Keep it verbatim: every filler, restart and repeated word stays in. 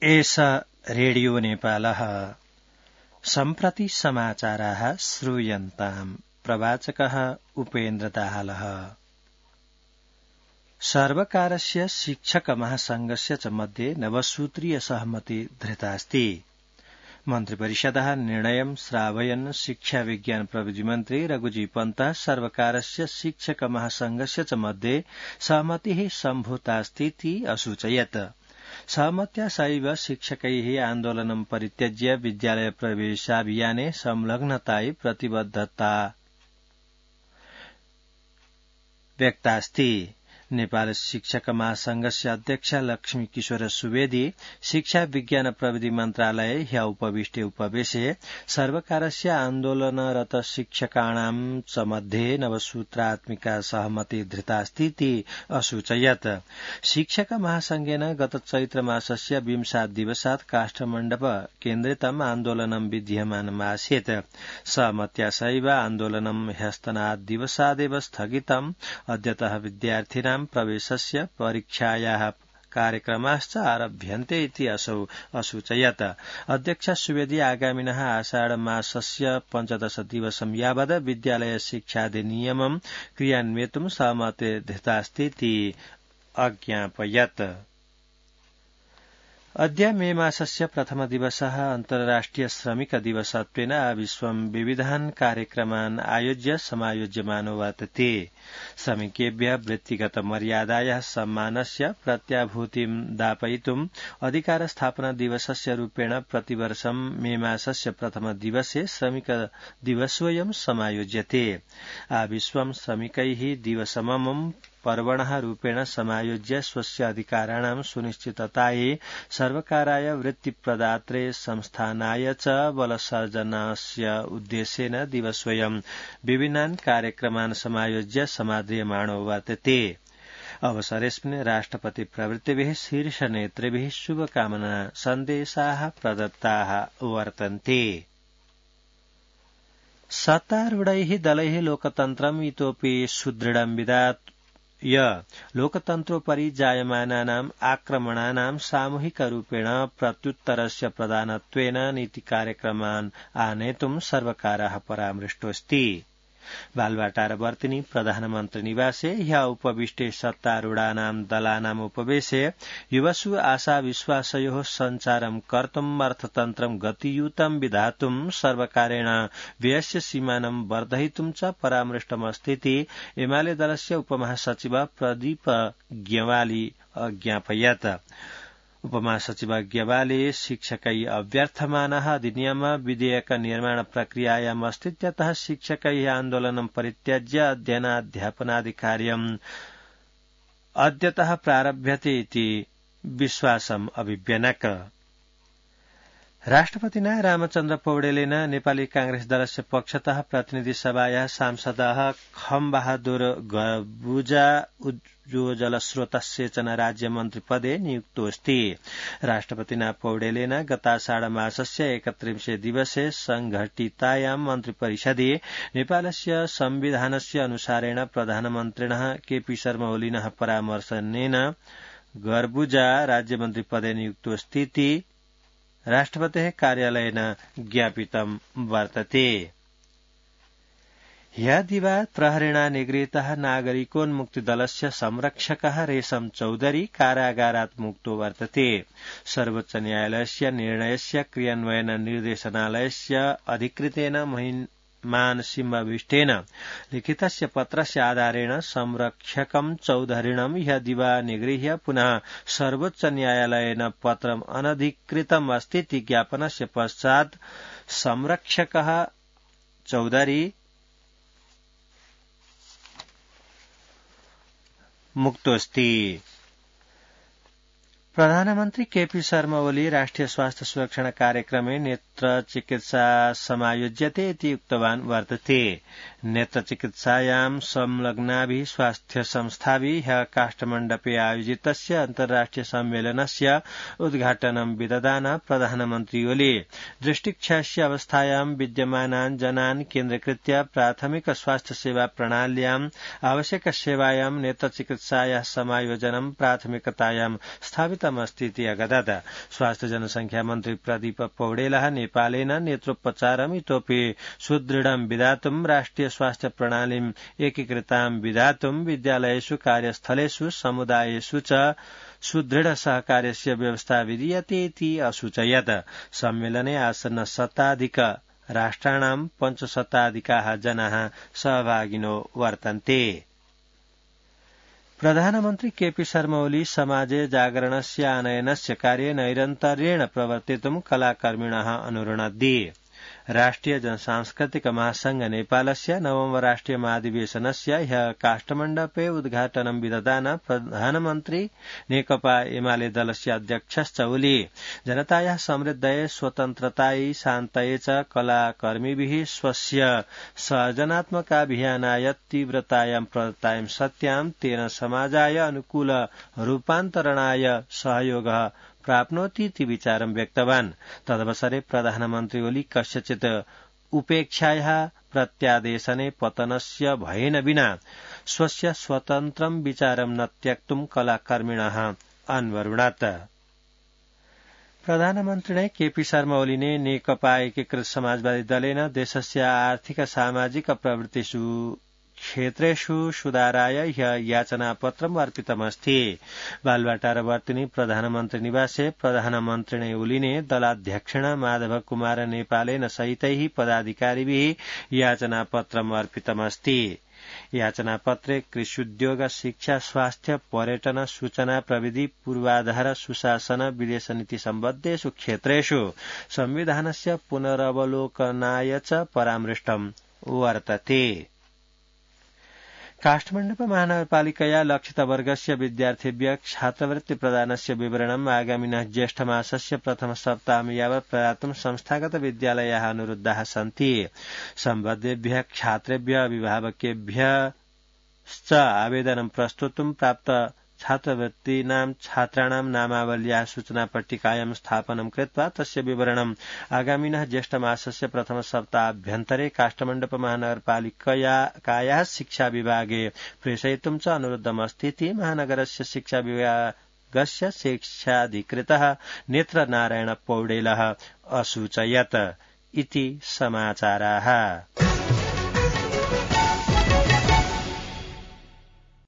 एष रेडियो नेपालः सम्प्रति समाचाराः श्रूयन्ताम्। प्रवाचकः उपेन्द्र दाहालः। सर्वकारस्य शिक्षक महासंघस्य च मध्ये नवसूत्रीय सहमति धृतास्ति। मन्त्रिपरिषदः निर्णयं श्रावयन् शिक्षा विज्ञान प्रविधि मन्त्री रघुजी पन्तः सर्वकारस्य शिक्षक महासंघस्य च मध्ये सहमतिः सम्भूतास्तीति असूचयत्। सहमत्या सैव शिक्षकैः आन्दोलनं परित्यज्य विद्यालय प्रवेशाभियाने संलग्नतायै प्रतिबद्धता व्यक्तास्ति। नेपाल शिक्षक महासंघस्य अध्यक्ष लक्ष्मी किशोर सुवेदी शिक्षा विज्ञान प्रविधि मन्त्रालये ह्य उपविष्टे उपवेशे सर्वकारस्य आन्दोलनरत शिक्षकाणां च मध्ये नवसूत्रात्मिका सहमति धृतास्तीति असूचयत्। शिक्षक महासंघेन गत चैत्र मासस्य विंशात् दिवसात् काष्ठमण्डप केन्द्रितम् आन्दोलनं विद्यमानमासीत्। सहमत्या सैव आन्दोलनं ह्यस्तनात् दिवसादेव स्थगितम्। अद्यतः विद्यार्थिनां प्रवेशस्य परीक्षायाः कार्यक्रमाश्च आरभ्यन्ते इति असौ असूचयत्। अध्यक्ष सुवेदी आगामिनः आषाढ मासस्य पञ्चदश दिवसं यावत् विद्यालय शिक्षाधिनियमं क्रियान्वेतुं सहमति धृतास्तीति अज्ञापयत्। अद्य मे मासस्य प्रथम दिवसः अन्तर्राष्ट्रिय श्रमिक दिवसत्वेन विश्वं विविधान् कार्यक्रमान् आयोज्य समायोज्यमानो वर्तते। श्रमिकेभ्यः वृत्तिगत मर्यादायाः सम्मानस्य प्रत्याभूतिं दापयितुम् अधिकार स्थापना दिवसस्य रूपेण प्रतिवर्षं मे मासस्य प्रथम दिवसे श्रमिक दिवसोऽयं समायोज्यते। आविश्वं श्रमिकैः दिवसममं पर्वणः रूपेण समायोज्य स्वस्य अधिकाराणां सुनिश्चिततायै सर्वकाराय वृत्तिप्रदात्रे संस्थानाय च बलसर्जनस्य उद्देश्येन दिवसोऽयं विभिन्नान् कार्यक्रमान् समायोज्य समाद्रियमाणो वर्तते। अवसरेऽस्मिन् राष्ट्रपति प्रभृतिभिः शीर्षनेतृभिः शुभकामना सन्देशाः प्रदत्ताः वर्तन्ते। सत्तारूढैः दलैः लोकतन्त्रम् इतोपि सुदृढं विधात् य लोकतन्त्रोपरि जायमानानाम् आक्रमणानां सामूहिकरूपेण प्रत्युत्तरस्य प्रदानत्वेन नीतिकार्यक्रमान् आनेतुं सर्वकारः परामृष्टोऽस्ति। बालवाटारवर्तिनी प्रधानमन्त्री निवासे ह्य उपविष्टे सत्तारूढानां दलानाम् उपवेशे युवसु आशाविश्वासयोः सञ्चारं कर्तुम् अर्थतन्त्रं गतियुतं विधातुं सर्वकारेण व्ययस्य सीमानं वर्धयितुं च परामृष्टमस्तीति एमाले दलस्य उपमहासचिव प्रदीप ग्यवाली अज्ञापयत्। उपमहासचिव ग्यवाले शिक्षकै अभ्यर्थमानः अधिनियम विधेयक निर्माण प्रक्रियायाम् अस्तित्यतः शिक्षकैः आन्दोलनं परित्यज्य अध्ययनाध्यापनादिकार्यम् अद्यतः प्रारभ्यते इति विश्वासम् अभिव्यनक। राष्ट्रपतिना रामचन्द्र पौडेलेन नेपाली कांग्रेस दलस्य पक्षतः प्रतिनिधि सभायाः सांसदः खमबहादुर गर्बुजा उज्ज्वलस्रोतसेचन राज्यमन्त्री पदे नियुक्तोऽस्ति। राष्ट्रपतिना पौडेलेन गताषाढ मासस्य एकत्रिंशे दिवसे संघटितायां मन्त्रिपरिषदि नेपालस्य संविधानस्य अनुसारेण प्रधानमन्त्रिणः केपी शर्मा ओलीनः परामर्शनेन गर्बुजा राज्यमन्त्री पदे नियुक्तोऽस्तीति राष्ट्रपतेः कार्यालयेन ज्ञापितं वर्तते। ह्यः दिवात् प्रहरेणा निगृहीतः नागरिकोन्मुक्तिदलस्य संरक्षकः रेशम चौधरी कारागारात् मुक्तो वर्तते। सर्वोच्च न्यायालयस्य निर्णयस्य क्रियान्वयन निर्देशनालयस्य अधिकृतेन महिमान सिंहविष्टेन लिखितस्य पत्रस्य आधारेण संरक्षकं चौधरीणं ह्यः दिवा निगृह्य पुनः सर्वोच्च न्यायालयेन पत्रम् अनधिकृतम् अस्तीति ज्ञापनस्य पश्चात् संरक्षकः चौधरी मुक्तोऽस्ति। प्रधानमन्त्री केपी शर्मा ओली राष्ट्रिय स्वास्थ्य सुरक्षण कार्यक्रमे नेत्र चिकित्सा समायोज्यते इति उक्तवान् वर्तते। नेत्र चिकित्सायां संलग्नाभिः स्वास्थ्य संस्थाभिः ह्यः काष्ठमण्डपे आयोजितस्य अन्तर्राष्ट्रिय सम्मेलनस्य उद्घाटनं विदधान प्रधानमन्त्री ओली दृष्टिक्षयस्य अवस्थायां विद्यमानान् जनान् केन्द्रीकृत्य प्राथमिक स्वास्थ्य सेवा प्रणाल्याम् आवश्यक सेवायां नेत्र चिकित्सायाः समायोजनं प्राथमिकतायां स्थापित वर्तितमस्तीति अगदत। स्वास्थ्य जनसंख्या मन्त्री प्रदीप पौडेलः नेपालेन नेत्रोपचारम् इतोपि सुदृढं विधातुं राष्ट्रिय स्वास्थ्य प्रणालीम् एकीकृतां विधातुं विद्यालयेषु कार्यस्थलेषु समुदायेषु च सुदृढ सहकार्यस्य व्यवस्था विधीयते इति असूचयत्। सम्मेलने आसन्न शताधिक राष्ट्राणां पञ्चशताधिकाः जनाः सहभागिनो वर्तन्ते। प्रधानमन्त्री केपी शर्मा ओली समाजे जागरणस्य आनयनस्य कार्ये नैरन्तर्येण प्रवर्तितुं कलाकर्मिणः अनुरुणद्धि। राष्ट्रिय जनसांस्कृतिक महासंघ नेपालस्य नवम राष्ट्रिय महाधिवेशनस्य ह्यः काष्ठमण्डपे उद्घाटनं विदधान प्रधानमन्त्री नेकपा एमाले दलस्य अध्यक्षश्च ओली जनतायाः समृद्धये स्वतन्त्रतायै शान्तये च कलाकर्मिभिः स्वस्य सर्जनात्मकाभियानाय तीव्रतायां प्रदत्तायां सत्यां तेन समाजाय अनुकूल रूपान्तरणाय सहयोगः प्राप्नोतीति विचारं व्यक्तवान्। तदवसरे प्रधानमन्त्री ओली कस्यचित् उपेक्षायाः प्रत्यादेशने पतनस्य भयेन विना स्वस्य स्वतन्त्रं विचारं न त्यक्तुं कलाकर्मिणः अन्वरुणत्। प्रधानमन्त्रिणे केपी शर्मा ओलीने नेकपा एकीकृत समाजवादी दलेन देशस्य आर्थिक सामाजिक प्रवृत्तिषु क्षेत्रेषु सुधाराय याचनापत्रम् अर्पितमस्ति। बालवाटारवर्तिनि प्रधानमन्त्री निवासे प्रधानमन्त्रिणे ओलीने दलाध्यक्षेण माधव कुमार नेपालेन सहितैः पदाधिकारिभिः याचनापत्रम् अर्पितमस्ति। याचनापत्रे कृष्युद्योग शिक्षा स्वास्थ्य पर्यटन सूचना प्रविधि पूर्वाधार सुशासन विदेश नीति सम्बद्धेषु क्षेत्रेषु संविधानस्य पुनरवलोकनाय च परामृष्टम् वर्तते। काष्ठमण्डप महानगरपालिकया लक्षितवर्गस्य विद्यार्थिभ्यः छात्रवृत्ति प्रदानस्य विवरणम् आगामिनः ज्येष्ठमासस्य प्रथम सप्ताहं यावत् प्रदातुं संस्थागत विद्यालयाः अनुरुद्धाः सन्ति। सम्बद्धेभ्यः छात्रेभ्यः अभिभावकेभ्यश्च आवेदनं प्रस्तुतुं प्राप्त छात्रवृत्तीनां छात्राणां नामावल्याः सूचनापट्टिकायां स्थापनं कृत्वा तस्य विवरणम् आगामिनः ज्येष्ठमासस्य प्रथम सप्ताहाभ्यन्तरे काष्ठमण्डप महानगरपालिकायाः शिक्षा विभागे प्रेषयितुं च अनुरुद्धमस्तीति महानगरस्य शिक्षा विभागस्य शिक्षाधिकृतः नेत्रनारायण पौडेलः असूचयत्। इति समाचाराः।